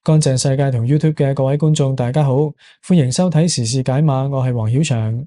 乾淨世界同 YouTube 嘅各位觀眾，大家好，歡迎收睇時事解碼，我係黃曉翔。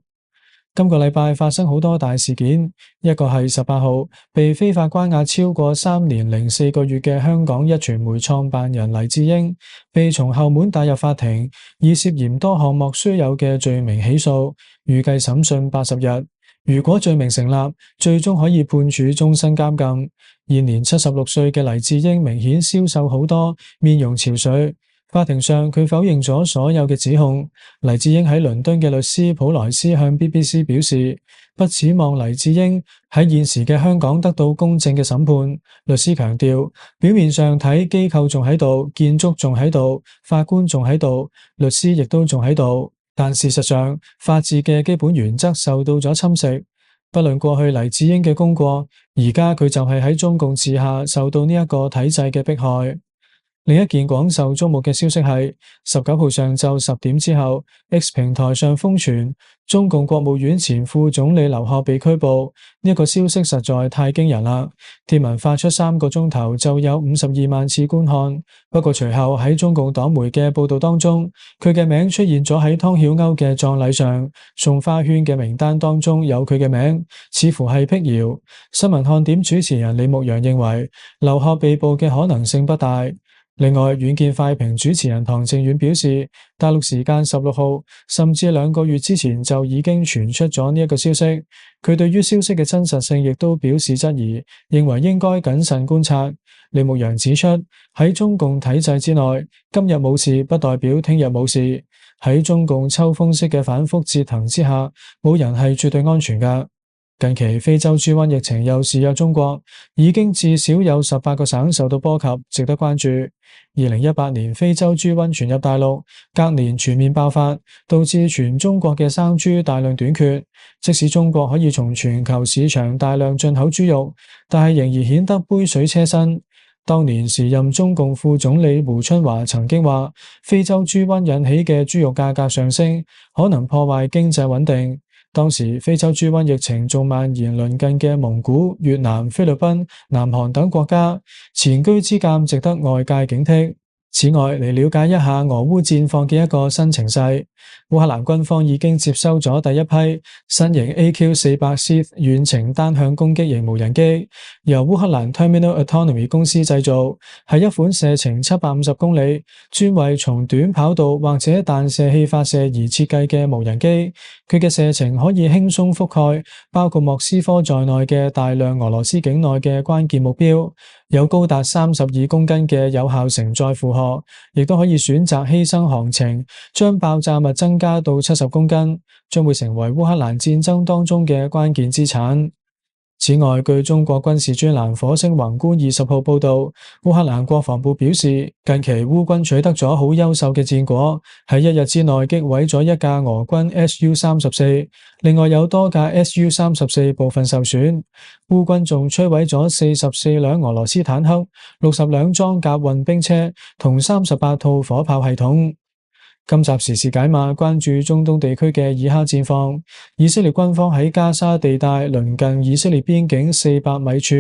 今個禮拜發生好多大事件，一個係18號被非法關押超過3年零4個月嘅香港壹傳媒創辦人黎智英，被從後門帶入法庭，以涉嫌多項莫須有嘅罪名起訴，預計審訊80日。如果罪名成立，最終可以判處終身監禁。現年76歲嘅黎智英明顯消瘦好多，面容憔悴。法庭上佢否認咗所有嘅指控。黎智英喺倫敦嘅律師普萊斯向 BBC 表示，不指望黎智英喺現時嘅香港得到公正嘅審判。律師強調，表面上睇機構仲喺度，建築仲喺度，法官仲喺度，律師亦都仲喺度。但事實上，法治嘅基本原則受到咗侵蝕。不論過去黎智英嘅功過，而家佢就係喺中共治下受到呢一個體制嘅迫害。另一件廣受矚目嘅消息係19號上晝10點之後 ，X 平台上瘋傳中共國務院前副總理劉鶴被拘捕。呢一個消息實在太驚人啦！貼文發出3個鐘頭就有52萬次觀看。不過隨後喺中共黨媒嘅報道當中，佢嘅名出現咗喺湯曉鷗嘅葬禮上，送花圈嘅名單當中有佢嘅名，似乎係闢謠。新聞看點主持人李牧陽認為，劉鶴被捕嘅可能性不大。另外，遠見快評主持人唐靖遠表示，大陸時間16號甚至2個月之前就已經傳出咗呢一個消息。佢對於消息嘅真實性亦都表示質疑，認為應該謹慎觀察。李牧陽指出，喺中共體制之內，今日冇事不代表聽日冇事。喺中共秋風式嘅反覆折騰之下，冇人係絕對安全㗎。近期非洲豬瘟疫情又肆虐中國，已經至少有18個省受到波及，值得關注。2018年非洲豬瘟傳入大陸，隔年全面爆發，導致全中國嘅生豬大量短缺。即使中國可以從全球市場大量進口豬肉，但係仍然顯得杯水車薪。當年時任中共副總理胡春華曾經話，非洲豬瘟引起嘅豬肉價格上升，可能破壞經濟穩定。當時非洲豬瘟疫情仲蔓延鄰近嘅蒙古、越南、菲律賓、南韓等國家，前車之鑑值得外界警惕。此外，嚟了解一下俄烏戰況嘅一個新情勢。烏克蘭軍方已經接收咗第一批新型 AQ-400C 遠程單向攻擊型無人機，由烏克蘭 Terminal Autonomy 公司製造，係一款射程750公里、專為從短跑道或者彈射器發射而設計嘅無人機。佢嘅射程可以輕鬆覆蓋包括莫斯科在內嘅大量俄羅斯境內嘅關鍵目標，有高達32公斤嘅有效承載負荷，亦都可以選擇犧牲航程，將爆炸物增加到70公斤，將會成為烏克蘭戰爭當中嘅關鍵資產。此外，據中國軍事專欄火星宏觀20號報道，烏克蘭國防部表示，近期烏軍取得咗好優秀嘅戰果，喺1日之內擊毀咗一架俄軍 Su-34，另外有多架 Su-34部分受損。烏軍仲摧毀咗44輛俄羅斯坦克、60輛裝甲運兵車同38套火炮系統。今集時事解碼關注中東地區嘅以哈戰況。以色列軍方喺加沙地帶鄰近以色列邊境400米處，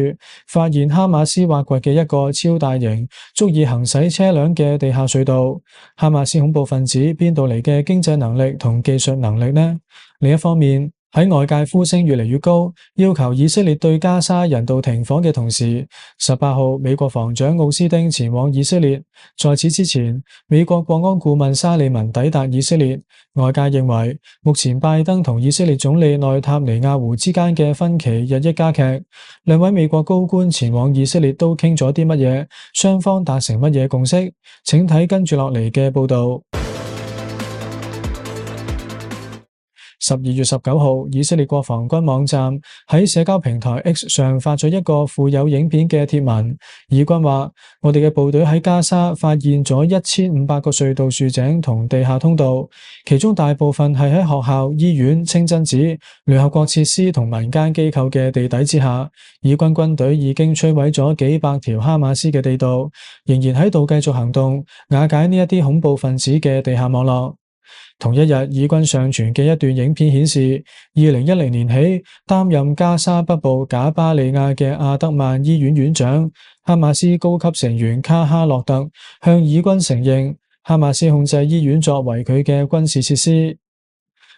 發現哈馬斯挖掘嘅一個超大型、足以行駛車輛嘅地下隧道。哈馬斯恐怖分子邊度嚟嘅經濟能力同技術能力呢？另一方面，喺外界呼聲越嚟越高，要求以色列對加沙人道停火嘅同時，18號美國防長奧斯汀前往以色列。在此之前，美國國安顧問沙利文抵達以色列。外界認為，目前拜登同以色列總理內塔尼亞胡之間嘅分歧日益加劇。兩位美國高官前往以色列都傾咗啲乜嘢？雙方達成乜嘢共識？請睇跟住落嚟嘅報道。12月19號，以色列國防軍網站喺社交平台 X 上發咗一個附有影片嘅貼文。以軍話：我哋嘅部隊喺加沙發現咗1500個隧道、豎井同地下通道，其中大部分係喺學校、醫院、清真寺、聯合國設施同民間機構嘅地底之下。以軍軍隊已經摧毀咗幾百條哈馬斯嘅地道，仍然喺度繼續行動，瓦解呢一啲恐怖分子嘅地下網絡。同一日，以軍上傳嘅一段影片顯示，2010年起擔任加沙北部賈巴利亞嘅阿德曼醫院院長哈馬斯高級成員卡哈洛特向以軍承認，哈馬斯控制醫院作為佢嘅軍事設施。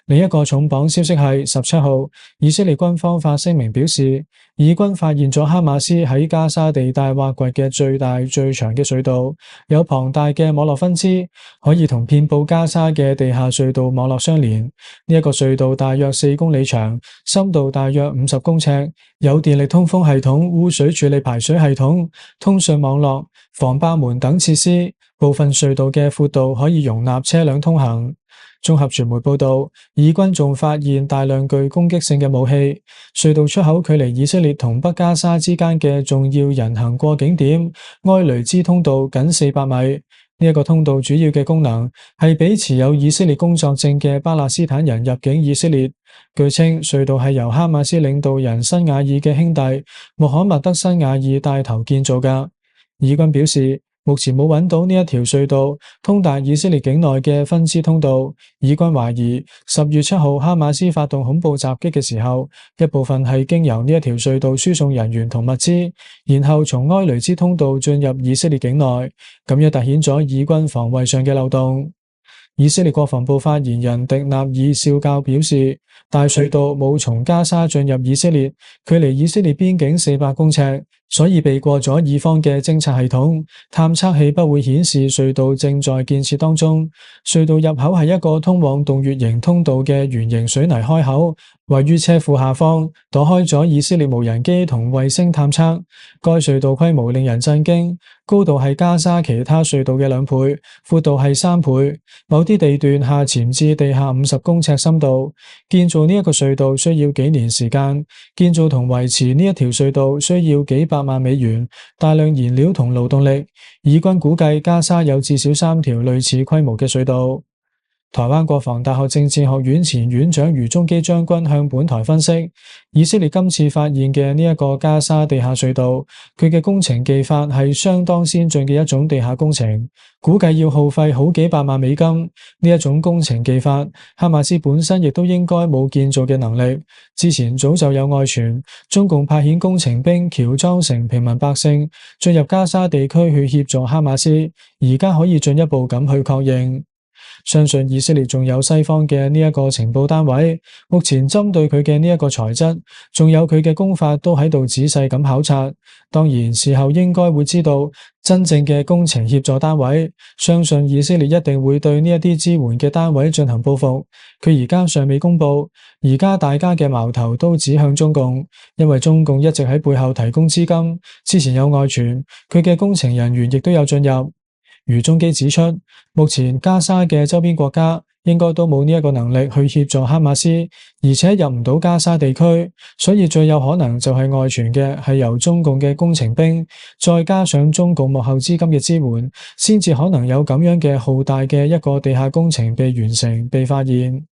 另一個重磅消息係17號，以色列軍方發聲明表示，以軍發現咗哈馬斯喺加沙地帶挖掘嘅最大最長嘅隧道，有龐大嘅網絡分支，可以同遍佈加沙嘅地下隧道網絡相連。呢一個隧道大約4公里長，深度大約50公尺，有電力通風系統、污水處理排水系統、通訊網絡、防爆門等設施。部分隧道嘅闊度可以容納車輛通行。綜合傳媒報道，以軍仲發現大量具攻擊性嘅武器。隧道出口距離以色列同北加沙之間嘅重要人行過境點埃雷茲通道僅400米。呢一個通道主要嘅功能係俾持有以色列工作證嘅巴勒斯坦人入境以色列。據稱，隧道係由哈馬斯領導人辛瓦爾嘅兄弟穆罕默德辛瓦爾帶頭建造㗎。以軍表示，目前冇揾到呢一條隧道通達以色列境內嘅分支通道。以軍懷疑10月7號哈馬斯發動恐怖襲擊嘅時候，一部分係經由呢一條隧道輸送人員同物資，然後從埃雷茲通道進入以色列境內，咁樣凸顯咗以軍防衛上嘅漏洞。以色列國防部發言人迪納爾少校表示，大隧道冇從加沙進入以色列，距離以色列邊境400公尺，所以避過咗以方嘅偵察系統，探測器不會顯示隧道正在建設當中。隧道入口係一個通往洞穴型通道嘅圓形水泥開口，位於車庫下方，躲開咗以色列無人機同衛星探測。該隧道規模令人震驚，高度係加沙其他隧道嘅2倍，闊度係3倍，某啲地段下潛至地下50公尺深度。建造呢一個隧道需要幾年時間，建造同維持呢一條隧道需要幾百萬美元，大量燃料同勞動力。以軍估計加沙有至少3條類似規模嘅隧道。台灣國防大學政治學院前院長余宗基將軍向本台分析，以色列今次發現嘅呢一個加沙地下隧道，佢嘅工程技法係相當先進嘅一種地下工程，估計要耗費好幾百萬美金。呢一種工程技法，哈馬斯本身亦都應該冇建造嘅能力。之前早就有外傳，中共派遣工程兵喬裝成平民百姓進入加沙地區去協助哈馬斯，而家可以進一步咁去確認。相信以色列仲有西方嘅呢一個情報單位，目前針對佢嘅呢一個材質，仲有佢嘅工法都喺度仔細咁考察。當然事後應該會知道真正嘅工程協助單位，相信以色列一定會對呢一啲支援嘅單位進行報復。佢而家尚未公布，而家大家嘅矛頭都指向中共，因為中共一直喺背後提供資金。之前有外傳，佢嘅工程人員亦都有進入。余宗基指出，目前加沙嘅周邊國家應該都冇呢一個能力去協助哈馬斯，而且入唔到加沙地區，所以最有可能就係外傳嘅係由中共嘅工程兵，再加上中共幕後資金嘅支援，先至可能有咁樣嘅浩大嘅一個地下工程被完成、被發現。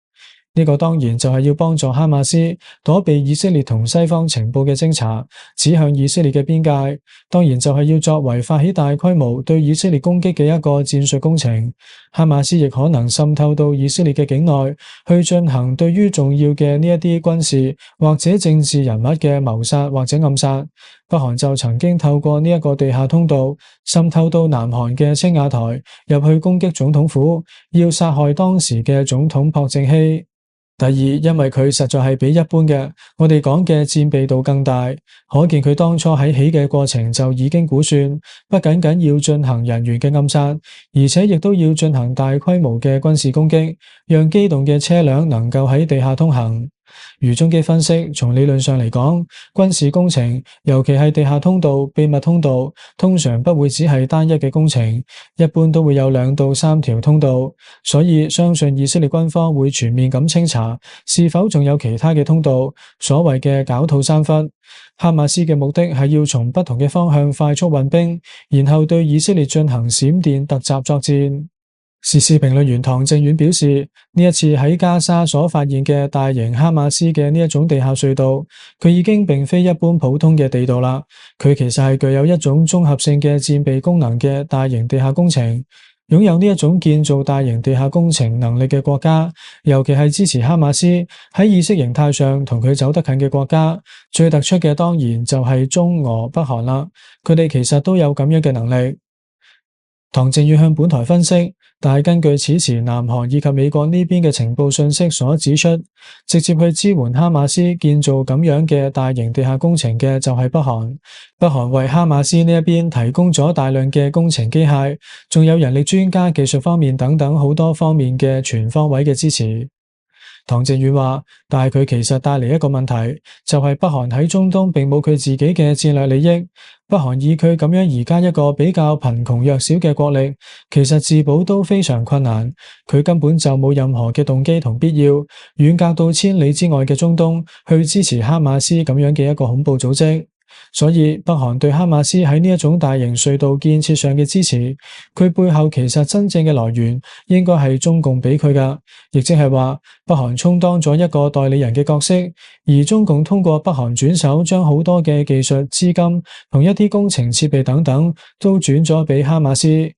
呢個當然就係要幫助哈馬斯躲避以色列同西方情報嘅偵查，指向以色列嘅邊界。當然就係要作為發起大規模對以色列攻擊嘅一個戰術工程。哈馬斯亦可能滲透到以色列嘅境內，去進行對於重要嘅呢一啲軍事或者政治人物嘅謀殺或者暗殺。北韓就曾經透過呢一個地下通道滲透到南韓嘅青瓦台，入去攻擊總統府，要殺害當時嘅總統朴正熙。第二，因為佢實在係比一般嘅我哋講嘅戰備度更大，可見佢當初喺起嘅過程就已經估算，不僅僅要進行人員嘅暗殺，而且亦都要進行大規模嘅軍事攻擊，讓機動嘅車輛能夠喺地下通行。余宗基分析，從理論上嚟講，軍事工程，尤其係地下通道、秘密通道，通常不會只係單一嘅工程，一般都會有2到3條通道，所以相信以色列軍方會全面咁清查，是否仲有其他嘅通道，所謂嘅狡兔三窟。哈馬斯嘅目的係要從不同嘅方向快速運兵，然後對以色列進行閃電突襲作戰。時事評論員唐正遠表示，呢一次喺加沙所發現嘅大型哈馬斯嘅呢一種地下隧道，佢已經並非一般普通嘅地道啦，佢其實係具有一種綜合性嘅戰備功能嘅大型地下工程。擁有呢一種建造大型地下工程能力嘅國家，尤其係支持哈馬斯喺意識形態上同佢走得近嘅國家，最突出嘅當然就係中俄北韓啦。佢哋其實都有咁樣嘅能力。唐靖遠向本台分析，但係根據此前南韓以及美國呢邊嘅情報信息所指出，直接去支援哈馬斯建造咁樣嘅大型地下工程嘅就係北韓。北韓為哈馬斯呢一邊提供咗大量嘅工程機械，仲有人力專家、技術方面等等好多方面嘅全方位嘅支持。唐靖遠話，但係佢其實帶嚟一個問題，就係北韓喺中東並冇佢自己嘅戰略利益。北韓以佢咁樣而家一個比較貧窮弱小嘅國力，其實自保都非常困難。佢根本就冇任何嘅動機同必要，遠隔到千里之外嘅中東去支持哈馬斯咁樣嘅一個恐怖組織。所以北韓對哈馬斯喺呢一種大型隧道建設上嘅支持，佢背後其實真正嘅來源應該係中共俾佢噶，亦即係話北韓充當咗一個代理人嘅角色，而中共通過北韓轉手將好多嘅技術、資金同一啲工程設備等等都轉咗俾哈馬斯。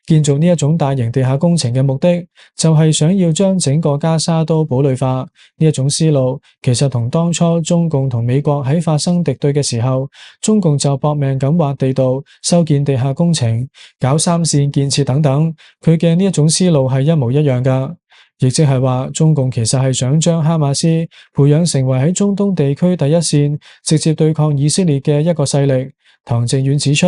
建造呢一種大型地下工程嘅目的，就係想要將整個加沙都堡壘化。呢一種思路，其實同當初中共同美國喺發生敵對嘅時候，中共就搏命咁挖地道、修建地下工程、搞三線建設等等，佢嘅呢一種思路係一模一樣噶。亦即係話，中共其實係想將哈馬斯培養成為喺中東地區第一線，直接對抗以色列嘅一個勢力。唐靖遠指出，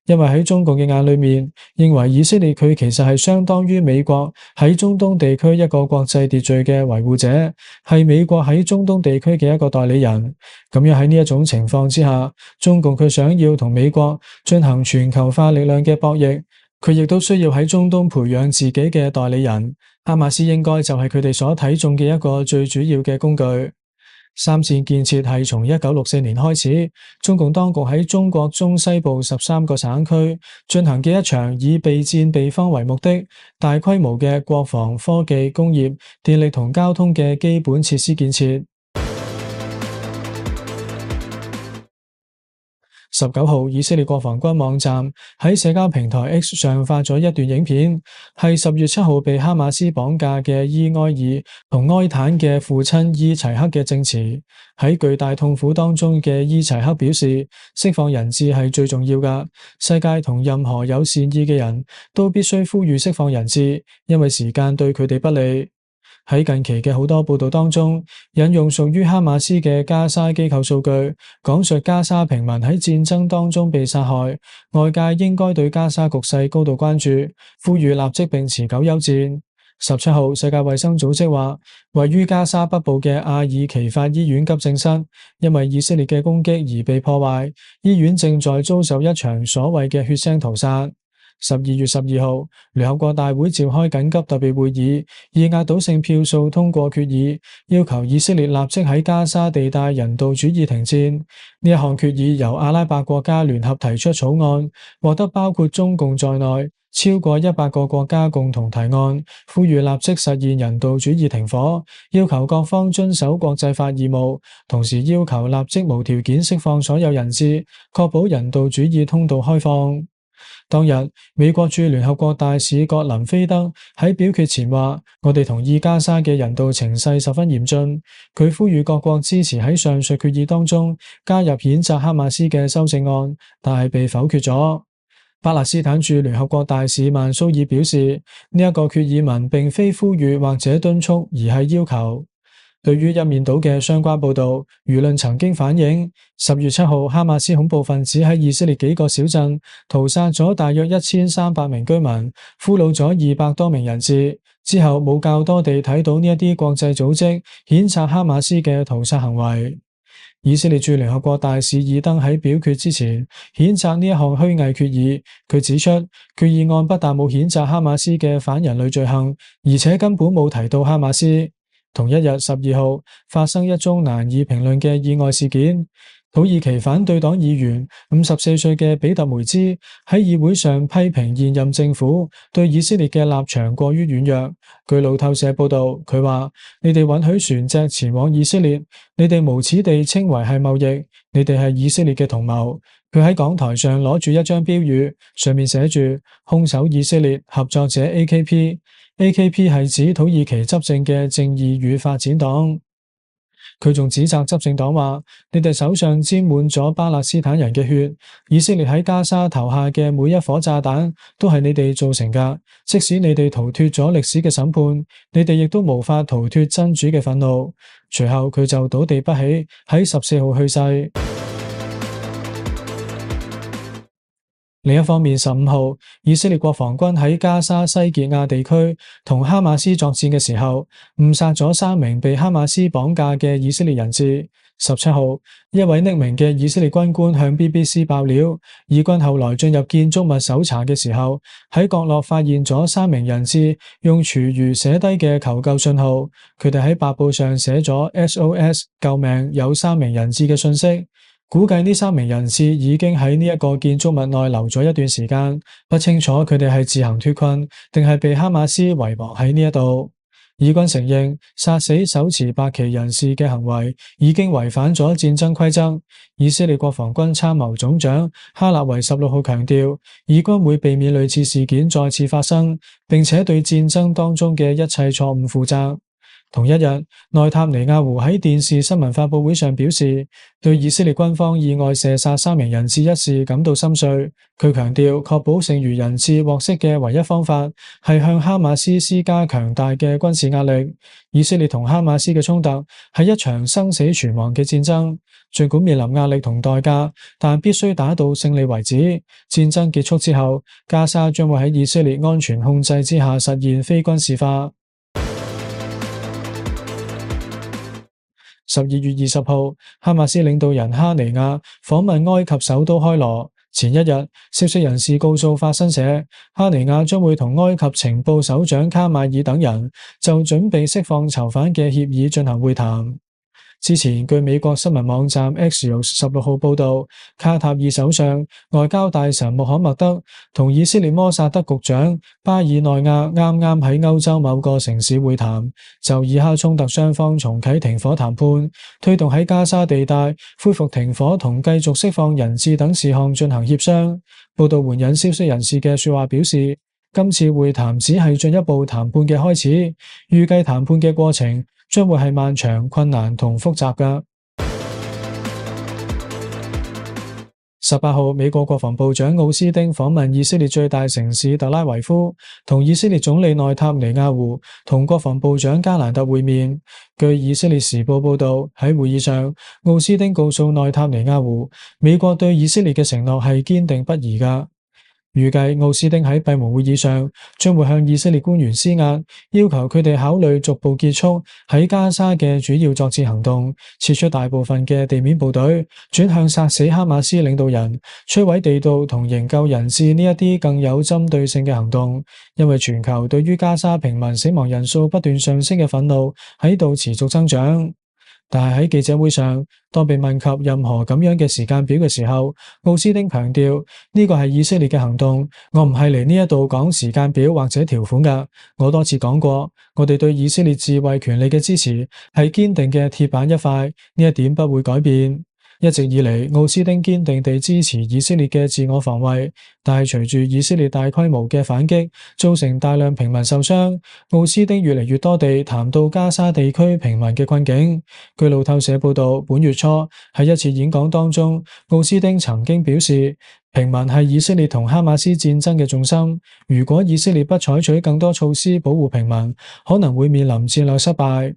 因為喺中共嘅眼裏面，認為以色列佢其實係相當於美國喺中東地區一個國際秩序嘅維護者，係美國喺中東地區嘅一個代理人。咁樣喺呢一種情況之下，中共佢想要同美國進行全球化力量嘅博弈，佢亦都需要喺中東培養自己嘅代理人。哈馬斯應該就係佢哋所睇中嘅一個最主要嘅工具。三線建設係從1964年開始，中共當局喺中國中西部13個省區進行嘅一場以備戰備荒為目的、大規模嘅國防、科技、工業、電力同交通嘅基本設施建設。19號，以色列國防軍網站喺社交平台 X 上發咗一段影片，係10月7號被哈馬斯綁架嘅伊埃爾同埃坦嘅父親伊齊克嘅證詞。喺巨大痛苦當中嘅伊齊克表示，釋放人質係最重要㗎。世界同任何有善意嘅人都必須呼籲釋放人質，因為時間對佢哋不利。喺近期嘅好多報道當中，引用屬於哈馬斯嘅加沙機構數據，講述加沙平民喺戰爭當中被殺害。外界應該對加沙局勢高度關注，呼籲立即並持久休戰。17號，世界衛生組織話，位於加沙北部嘅阿爾奇法醫院急症室，因為以色列嘅攻擊而被破壞，醫院正在遭受一場所謂嘅血腥屠殺。12月12號，聯合國大會召開緊急特別會議，以壓倒性票數通過決議，要求以色列立即喺加沙地帶人道主義停戰。呢一項決議由阿拉伯國家聯合提出草案，獲得包括中共在內超過100個國家共同提案，呼籲立即實現人道主義停火，要求各方遵守國際法義務，同時要求立即無條件釋放所有人質，確保人道主義通道開放。當日，美國駐聯合國大使葛林菲德喺表決前話：我哋同意加沙嘅人道情勢十分嚴峻。佢呼籲各國支持喺上述決議當中加入譴責哈馬斯嘅修正案，但係被否決咗。巴勒斯坦駐聯合國大使曼蘇爾表示，呢一個決議文並非呼籲或者敦促，而係要求。對於一面倒嘅相關報道，輿論曾經反映10月7號，哈馬斯恐怖分子喺以色列幾個小鎮屠殺咗大約1300名居民，俘虜咗200多名人質。之後冇較多地睇到呢一啲國際組織譴責哈馬斯嘅屠殺行為。以色列駐聯合國大使爾登喺表決之前譴責呢一項虛偽決議。佢指出，決議案不但冇譴責哈馬斯嘅反人類罪行，而且根本冇提到哈馬斯。同一日12號發生一宗難以評論嘅意外事件。土耳其反對黨議員54歲嘅比特梅茲喺議會上批評現任政府對以色列嘅立場過於軟弱。據路透社報道，佢話：你哋允許船隻前往以色列，你哋無恥地稱為係貿易，你哋係以色列嘅同謀。佢喺講台上攞住一張標語，上面寫住兇手以色列合作者 AKP。AKP 係指土耳其執政嘅正義與發展黨。佢仲指責執政黨話：你哋手上沾滿咗巴勒斯坦人嘅血，以色列喺加沙投下嘅每一顆炸彈都係你哋造成㗎。即使你哋逃脫咗歷史嘅審判，你哋亦都無法逃脫真主嘅憤怒。隨後佢就倒地不起，喺14號去世。另一方面，15號，以色列國防軍喺加沙西傑亞地區同哈馬斯作戰嘅時候，誤殺咗3名被哈馬斯綁架嘅以色列人質。17號，一位匿名嘅以色列軍官向 BBC 爆料，以軍後來進入建築物搜查嘅時候，喺角落發現咗3名人質用廚餘寫低嘅求救信號，佢哋喺白布上寫咗 SOS 救命，有3名人質嘅信息。估計呢3名人質已經喺呢一個建築物內留咗一段時間，不清楚佢哋係自行脫困，定係被哈馬斯遺忘喺呢一度。以軍承認殺死手持白旗人士嘅行為已經違反咗戰爭規則。以色列國防軍參謀總長哈納維16號強調，以軍會避免類似事件再次發生，並且對戰爭當中嘅一切錯誤負責。同一日，內塔尼亞胡喺電視新聞發佈會上表示，對以色列軍方意外射殺3名人質一事感到心碎。佢強調，確保剩餘人質獲釋嘅唯一方法係向哈馬斯施加強大嘅軍事壓力。以色列同哈馬斯嘅衝突係一場生死存亡嘅戰爭，儘管面臨壓力同代價，但必須打到勝利為止。戰爭結束之後，加沙將會喺以色列安全控制之下實現非軍事化。12月20號，哈馬斯領導人哈尼亞訪問埃及首都開羅。前一日，消息人士告訴法新社，哈尼亞將會同埃及情報首長卡馬爾等人就準備釋放囚犯嘅協議進行會談。之前，據美國新聞網站 Axios 16號報道，卡塔爾首相、外交大臣穆罕默德同以色列摩薩德局長巴爾內亞啱啱喺歐洲某個城市會談，就以哈衝突雙方重啟停火談判，推動喺加沙地帶恢復停火同繼續釋放人質等事項進行協商。報道援引消息人士嘅說話表示，今次會談只係進一步談判嘅開始，預計談判嘅過程將會係漫長、困難同複雜㗎。18號，美國國防部長奧斯汀訪問以色列最大城市特拉維夫，同以色列總理內塔尼亞胡同國防部長加蘭特會面。據以色列時報報道，喺會議上，奧斯汀告訴內塔尼亞胡，美國對以色列嘅承諾係堅定不移㗎。預計奧斯汀喺閉門會議上將會向以色列官員施壓，要求佢哋考慮逐步結束喺加沙嘅主要作戰行動，撤出大部分嘅地面部隊，轉向殺死哈馬斯領導人、摧毀地道同營救人質呢一啲更有針對性嘅行動。因為全球對於加沙平民死亡人數不斷上升嘅憤怒喺度持續增長。但係喺記者會上，當被問及任何咁樣嘅時間表嘅時候，奧斯汀強調呢個係以色列嘅行動，我唔係嚟呢一度講時間表或者條款㗎。我多次講過，我哋對以色列自衛權利嘅支持係堅定嘅鐵板一塊，呢一點不會改變。一直以嚟，奧斯汀堅定地支持以色列嘅自我防衛，但係隨住以色列大規模嘅反擊，造成大量平民受傷，奧斯汀越嚟越多地談到加沙地區平民嘅困境。據路透社報道，本月初喺一次演講當中，奧斯汀曾經表示，平民係以色列同哈馬斯戰爭嘅重心，如果以色列不採取更多措施保護平民，可能會面臨戰略失敗。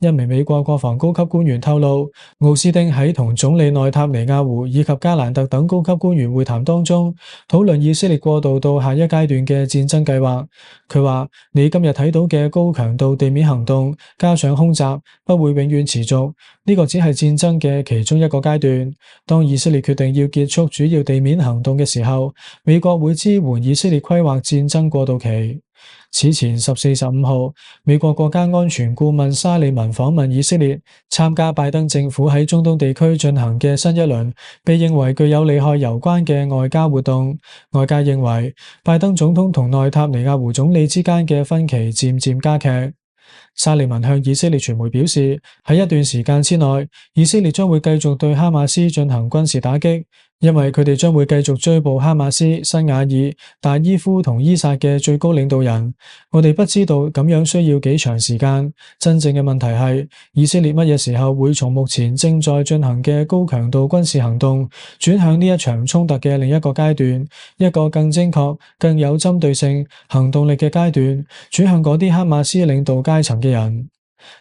一名美國國防高級官員透露，奧斯汀喺同總理內塔尼亞胡以及加蘭特等高級官員會談當中，討論以色列過渡到下一階段嘅戰爭計劃。佢話：你今日睇到嘅高強度地面行動，加上空襲，不會永遠持續，呢個只係戰爭嘅其中一個階段。當以色列決定要結束主要地面行動嘅時候，美國會支援以色列規劃戰爭過渡期。此前14、15號，美國國家安全顧問沙利文訪問以色列，參加拜登政府喺中東地區進行嘅新一輪被認為具有利害攸關嘅外交活動。外界認為，拜登總統同內塔尼亞胡總理之間嘅分歧漸漸加劇。沙利文向以色列傳媒表示，喺一段時間之內，以色列將會繼續對哈馬斯進行軍事打擊，因為佢哋將會繼續追捕哈馬斯、辛瓦爾、達伊夫同伊薩嘅最高領導人。我哋不知道咁樣需要幾長時間。真正嘅問題係，以色列乜嘢時候會從目前正在進行嘅高強度軍事行動轉向呢一場衝突嘅另一個階段，一個更精確、更有針對性、行動力嘅階段，轉向嗰啲哈馬斯領導階層嘅人。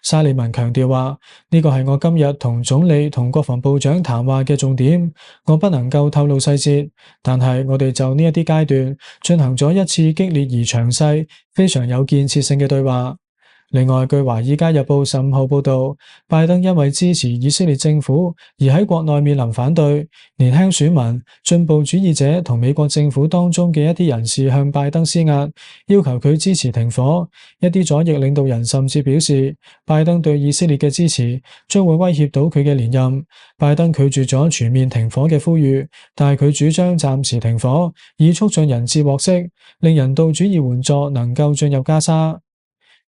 沙利文強調話，呢個係我今日同總理同國防部長談話嘅重點，我不能夠透露細節，但係我哋就呢一啲階段進行咗一次激烈而詳細、非常有建設性嘅對話。另外，據《華爾街日報》15號報道，拜登因為支持以色列政府而喺國內面臨反對，年輕選民、進步主義者同美國政府當中嘅一啲人士向拜登施壓，要求佢支持停火。一啲左翼領導人甚至表示，拜登對以色列嘅支持將會威脅到佢嘅連任。拜登拒絕咗全面停火嘅呼籲，但係佢主張暫時停火，以促進人質獲釋，令人道主義援助能夠進入加沙。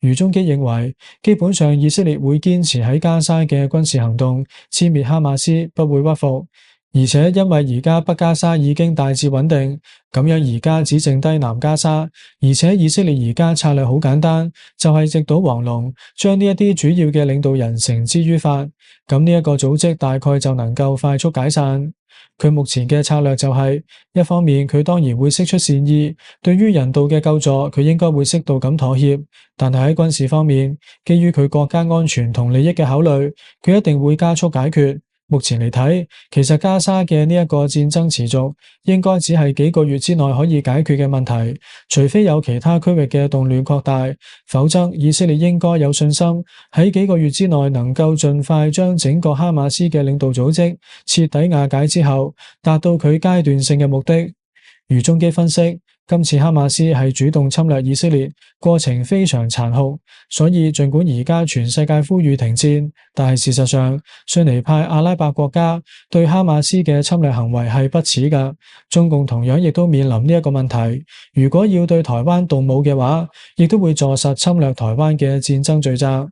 余中基認為，基本上以色列會堅持喺加沙嘅軍事行動，殲滅哈馬斯，不會屈服。而且因為而家北加沙已經大致穩定，咁樣而家只剩低南加沙，而且以色列而家策略好簡單，就係直搗黃龍，將呢一啲主要嘅領導人繩之於法，咁呢一個組織大概就能夠快速解散。佢目前嘅策略就係，一方面佢當然會釋出善意，對於人道嘅救助佢應該會適度咁妥協，但係喺軍事方面，基於佢國家安全同利益嘅考慮，佢一定會加速解決。目前嚟睇，其實加沙嘅呢一個戰爭持續，應該只係幾個月之內可以解決嘅問題，除非有其他區域嘅動亂擴大，否則以色列應該有信心喺幾個月之內能夠盡快將整個哈馬斯嘅領導組織徹底瓦解之後，達到佢階段性嘅目的。余中基分析，今次哈馬斯係主動侵略以色列，過程非常殘酷，所以盡管而家全世界呼籲停戰，但係事實上，遜尼派阿拉伯國家對哈馬斯嘅侵略行為係不恥㗎。中共同樣亦都面臨呢一個問題，如果要對台灣動武嘅話，亦都會坐實侵略台灣嘅戰爭罪責。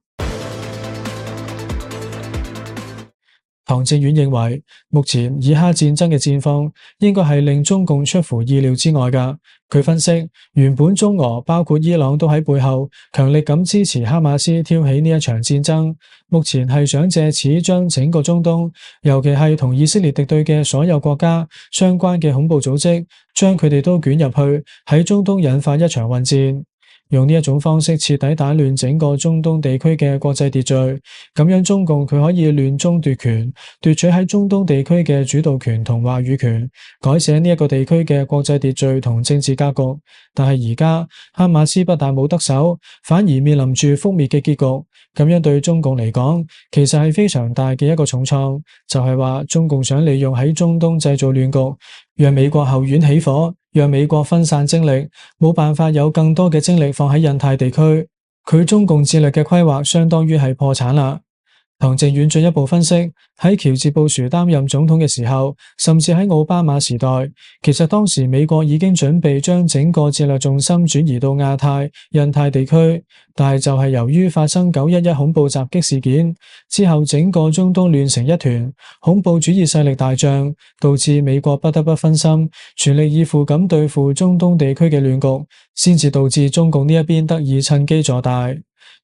唐正遠認為，目前以哈戰爭嘅戰況應該係令中共出乎意料之外㗎。佢分析，原本中俄包括伊朗都喺背後強力咁支持哈馬斯挑起呢一場戰爭，目前係想借此將整個中東，尤其係同以色列敵對嘅所有國家相關嘅恐怖組織，將佢哋都捲入去，喺中東引發一場混戰。用呢一種方式徹底打亂整個中東地區嘅國際秩序，咁樣中共佢可以亂中奪權，奪取喺中東地區嘅主導權同話語權，改寫呢一個地區嘅國際秩序同政治格局。但係而家哈馬斯不但冇得手，反而面臨住覆滅嘅結局。咁樣對中共嚟講，其實係非常大嘅一個重創，就係話中共想利用喺中東製造亂局，讓美國後院起火，讓美國分散精力，冇辦法有更多嘅精力放喺印太地區。佢中共戰略嘅規劃相當於係破產啦。唐正遠進一步分析，喺喬治布殊擔任總統嘅時候，甚至喺奧巴馬時代，其實當時美國已經準備將整個戰略重心轉移到亞太、印太地區，但係就係由於發生911恐怖襲擊事件之後，整個中東亂成一團，恐怖主義勢力大漲，導致美國不得不分心，全力以赴咁對付中東地區嘅亂局，先至導致中共呢一邊得以趁機坐大。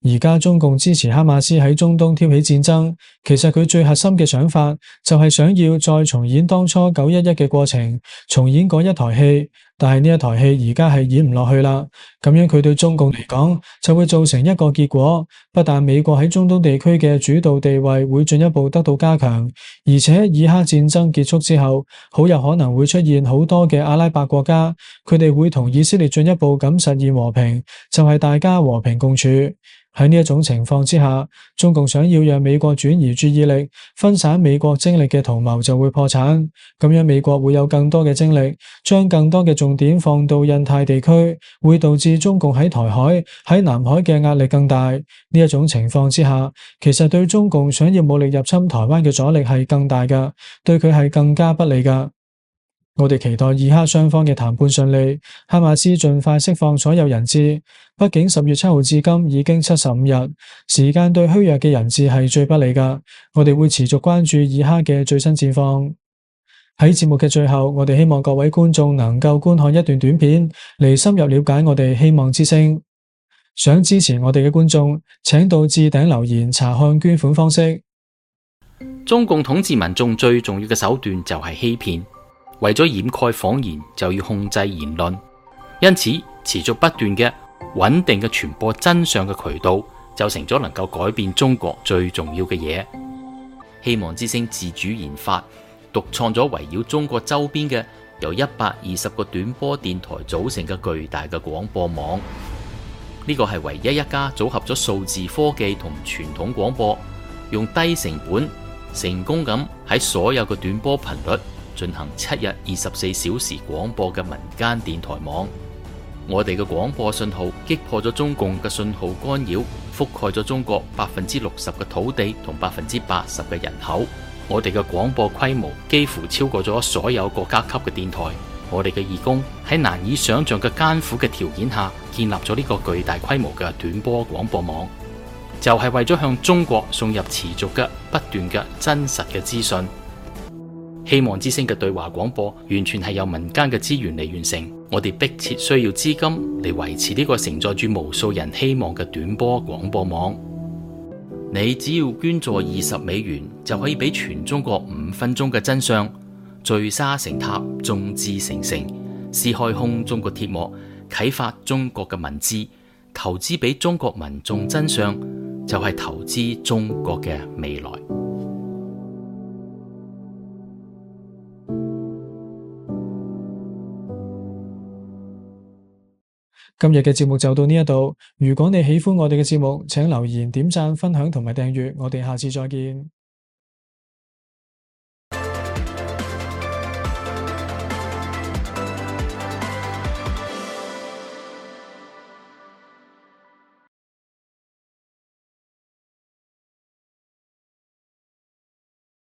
而家中共支持哈馬斯喺中東挑起戰爭，其實佢最核心嘅想法就係想要再重演當初911嘅過程，重演嗰一台戲。但係呢一台戲而家係演唔落去啦，咁樣佢對中共嚟講就會造成一個結果，不但美國喺中東地區嘅主導地位會進一步得到加強，而且以哈戰爭結束之後，好有可能會出現好多嘅阿拉伯國家，佢哋會同以色列進一步咁實現和平，就係大家和平共處。喺呢一種情況之下，中共想要讓美國轉移注意力，分散美國精力嘅圖謀就會破產。咁樣美國會有更多嘅精力，將更多嘅重點放到印太地區，會導致中共喺台海、喺南海嘅壓力更大。呢一種情況之下，其實對中共想要武力入侵台灣嘅阻力係更大㗎，對佢係更加不利㗎。我哋期待以哈雙方嘅談判順利，哈馬斯盡快釋放所有人質。畢竟10月7號至今已經75日，時間對虛弱嘅人質係最不利㗎。我哋會持續關注以哈嘅最新戰況。喺節目嘅最後，我哋希望各位觀眾能夠觀看一段短片，嚟深入了解我哋希望之聲。想支持我哋嘅觀眾，請到置頂留言查看捐款方式。中共統治民眾最重要嘅手段就係欺騙，為咗掩蓋謊言，就要控制言論。因此，持續不斷嘅穩定嘅傳播真相嘅渠道，就成咗能夠改變中國最重要嘅嘢。希望之聲自主研發、獨創咗圍繞中國周邊嘅由120個短波電台組成嘅巨大嘅廣播網。呢個係唯一一家組合咗數字科技同傳統廣播，用低成本成功咁喺所有嘅短波頻率進行7日24小時廣播嘅民間電台網。我哋嘅廣播信號擊破咗中共嘅信號干擾，覆蓋咗中國60%嘅土地同80%嘅人口。我哋嘅廣播規模幾乎超過咗所有國家級嘅電台。我哋嘅義工喺難以想象嘅艱苦嘅條件下，建立咗呢個巨大規模嘅短波廣播網，就係為咗向中國送入持續嘅不斷嘅真實嘅資訊。希望之聲嘅對話廣播完全係由民間嘅資源嚟完成，我哋迫切需要資金嚟維持呢個承載住無數人希望嘅短波廣播網。你只要捐助$20，就可以俾全中國5分鐘嘅真相聚沙成塔，眾志成城，撕開空中嘅鐵幕，啟發中國嘅民智，投資俾中國民眾真相，就係投資中國嘅未來。今日嘅節目就到呢一度。如果你喜歡我哋嘅節目，請留言、點讚、分享同埋訂閱。我哋下次再見。